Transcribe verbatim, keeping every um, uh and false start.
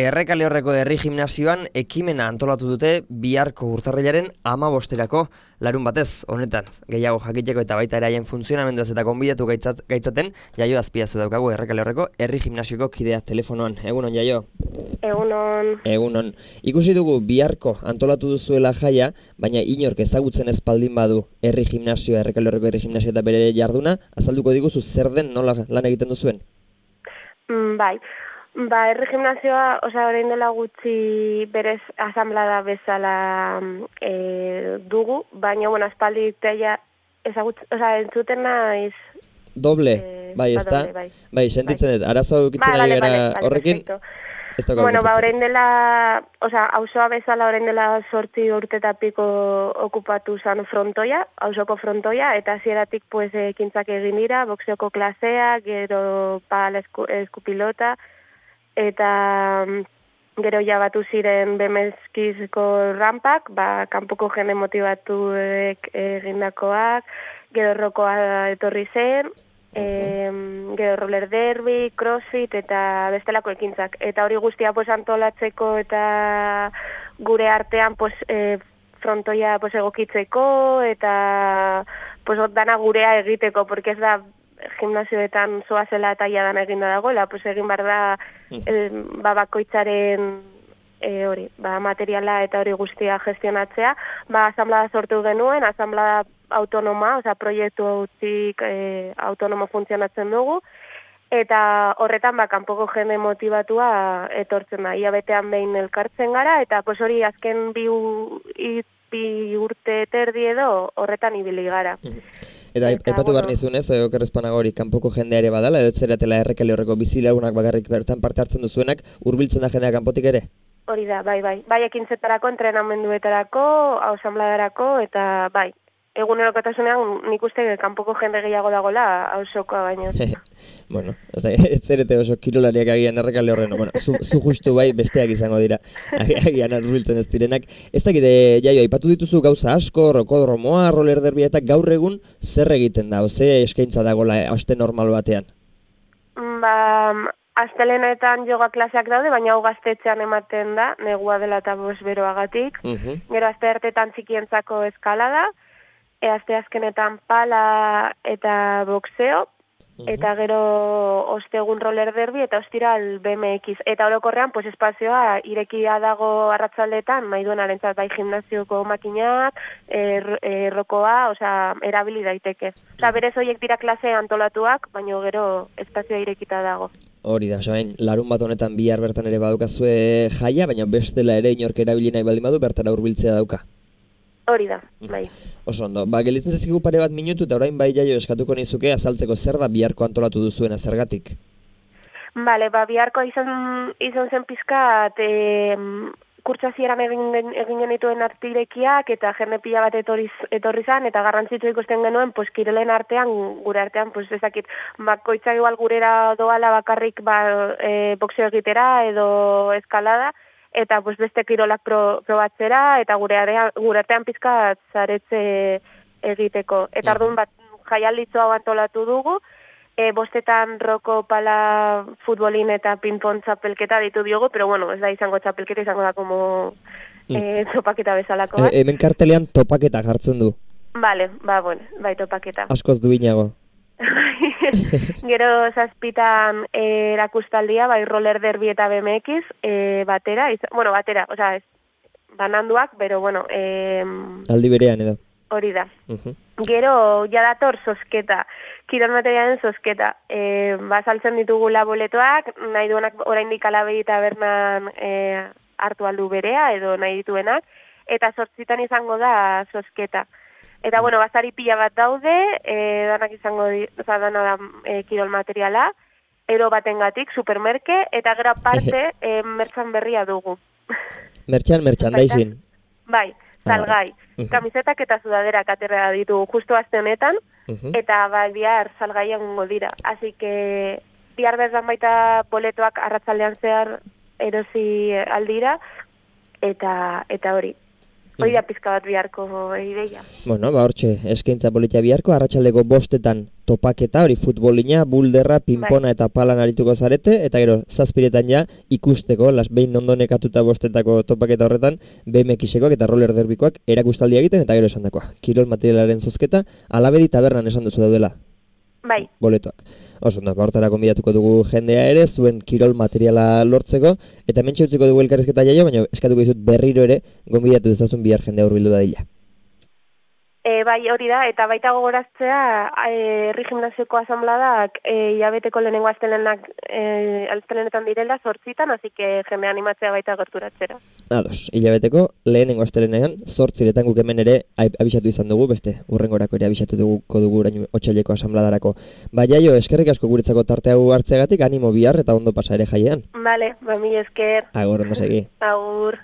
Errekale Horreko herri gimnasioan ekimena antolatu dute biharko urtarrilaren hamabosterako larun batez, honetan. Gehiago jakiteko eta baita eraien funtzionamenduaz eta konbidatu gaitzat, gaitzaten, Jaio Azpiazu daukagu Errekale Horreko herri gimnasioko kidea telefonoan. Egunon, Jaio? Egunon. Egunon. Ikusi dugu biharko antolatu duzuela jaia, baina inork ezagutzen ez baldin badu herri gimnasioa, Errekale Horreko herri gimnasioa eta bere jarduna, azalduko diguzu zer den nola lan egiten duzuen? Mm, bai. Ba, herri gimnasioa, osea, orain dela gutxi berez asamblada bezala e, dugu, baina, bueno, aspaldi teia ezagut, osea, entzuten naiz... Doble, e, bai, ez da? Bai, bai, sentitzen dut, arazo eukitzen ba, ari vale, gara vale, vale, horrekin, ez daukagu bueno, ba, pentsatzen. orain dela, osea, auzoa bezala orain dela sortzi urtetapiko okupatu zan frontoia, auzoko frontoia, eta hasieratik pues, ekintzak egin dira, boxeoko klasea, gero pala esku, eskupilota, eta gero ja batu ziren bemezkizko rampak, ba, kanpoko jende motibatuek egindakoak, gero rokoa etorri zen, uh-huh. e, gero roller derby, crossfit eta bestelako ekintzak. Eta hori guztia pues, antolatzeko eta gure artean pues, e, frontoia pues, egokitzeko eta pues, dana gurea egiteko, porque ez da gimnasioetan zoazela eta iadan eginda dagoela, pues egin behar da eh, ba, bakoitzaren eh, hori, ba, materiala eta hori guztia gestionatzea. Ba, asamblada sortu genuen, asamblada autonoma, osea, proiektu hautik eh, autonomo funtzionatzen dugu, eta horretan ba, kanpoko jende motibatua etortzen da. Ia betean behin elkartzen gara, eta pues hori azken bi, bi urte terdi edo horretan ibili gara. Eta aipatu behar nizunez, okerrezpanago hori, kanpoko jendea ere badala, edo zeratela Errekale Horreko bizilagunak bakarrik bertan parte hartzen duzuenak, hurbiltzen da jendea kanpotik ere? Hori da, bai, bai. Bai ekintzetarako, entrenamenduetarako, ausambladarako, eta bai. Egunerokotasunean nik uste kanpoko jende gehiago dagoela auzokoa baino. Bueno, ez zerete oso kirolariak agian Errekale Horren, bueno, zu, zu justu bai besteak izango dira, agian hurbiltzen ez direnak. Ez dakit, Jaio, aipatu dituzu gauza asko, rokodromoa, roller derby eta gaur egun zer egiten da, ze eskaintza dagoela aste normal batean? Ba, astelenetan yoga klaseak daude, baina hau gaztetxean ematen da, negua dela eta bos beroagatik. Uh-huh. Gero aste hartetan txikientzako eskalada, e aste azkenetan pala eta boxeo, eta gero ostegun roller derby eta ostiral B M X. Eta orokorrean pues, espazioa irekia dago arratsaldetan, nahi duen arentzat bai gimnasioko makinak, er, errokoa, osea, erabili daiteke. Osea, berez horiek dira klase antolatuak, baina gero espazioa irekita dago. Hori da, soain, larun bat honetan bihar bertan ere badukazue jaia, baina bestela ere inork erabili nahi baldin badu, bertara hurbiltzea dauka. Hori da, bai. Oso ondo, ba, gelitzen zezkigu pare bat minutu eta orain bai Jaio eskatuko nizuke azaltzeko zer da biharko antolatu duzuena zergatik? Bale, ba, biharko izan, izan zen pizkat, e, kurtsazieran egin, egin genituen artirekiak eta jende pila bat etorriz, etorri zan, eta garrantzitsu ikusten genuen, pues, kirolen artean, gure artean, pues, ezakit, bakoitzak igual gurera doala bakarrik ba, e, boxeo egitera edo eskalada, eta pues, beste kirolak pro, probatzera, eta gure, area, gure artean pizkat zaretze egiteko. Eta orduan bat jaialditzo hau antolatu dugu, e, bostetan roko pala futbolin eta ping-pong txapelketa ditu diogu, pero bueno, ez da izango txapelketa, izango da como e, topaketa bezalako bat. E, hemen kartelean topaketa jartzen du. Vale, ba, bueno, bai topaketa. Askoz duinago. Gero zazpitan eh, erakustaldia, bai roller derby eta B M X, eh, batera, iz, bueno, batera, osea, ez, bananduak, pero bueno... Eh, aldi berean edo. Hori da. Uh-huh. Gero, jadator sosketa, kirol materialen sosketa. Eh, ba, saltzen ditugula boletoak, nahi duenak oraindik Alabei eta Bernan eh, hartu aldu berea, edo nahi dituenak, eta zortzitan izango da sosketa. Eta, bueno, bazari pila bat daude, e, danak izango, oza, dana da e, kirol materiala, ero batengatik, supermerke, eta gero parte, e, mertxan berria dugu. Mertxan, merchandising. Bai, salgai. Ah, uh-huh. Kamisetak eta sudaderak aterra ditugu justu aste honetan, uh-huh. eta bai, bihar salgai egongo dira. Así que, bihar berzan baita boletoak arratzaldean zehar erosi aldira, eta eta hori. hori da pizka bat biharko ideia. Bueno, ba hortxe, eskaintza politia biharko, arratsaldeko bostetan topaketa, hori futbolina, bulderra, pinpona bai. Eta palan arituko zarete, eta gero, zazpiretan ja, ikusteko, las behin ondo nekatuta bostetako topaketa horretan, B M X-ekoak eta roller derbikoak erakustaldia egiten, eta gero esan dakoa. Kirol materialaren zozketa, Alabedi tabernan esan duzu daudela. Bai. Boletoak. Oso, da, hortara konbidatuko dugu jendea ere, zuen kirol materiala lortzeko, eta mentxe utziko dugu elkarrizketa jaio, baina eskatuko dizut berriro ere, gonbidatu dezazun bihar jendea hurbildu dadila. E, bai, hori da, eta baita gogoraztea, e, herri gimnasioko asanbladak e, hilabeteko lehenengo astelenak e, astelenetan direla zortzitan, hasi que jende animatzea baita gerturatzera. Ados, hilabeteko lehenengo astelenean zortziretan guk hemen ere abisatu izan dugu, beste urrengorako ere abisatu dugu dugu orain otsaileko asanbladarako. Ba jaio, eskerrik asko guretzako tarte hau hartzeagatik, animo bihar eta ondo pasa ere jaiean. Vale, ba mi esker. Agur, ondo segi. Agur.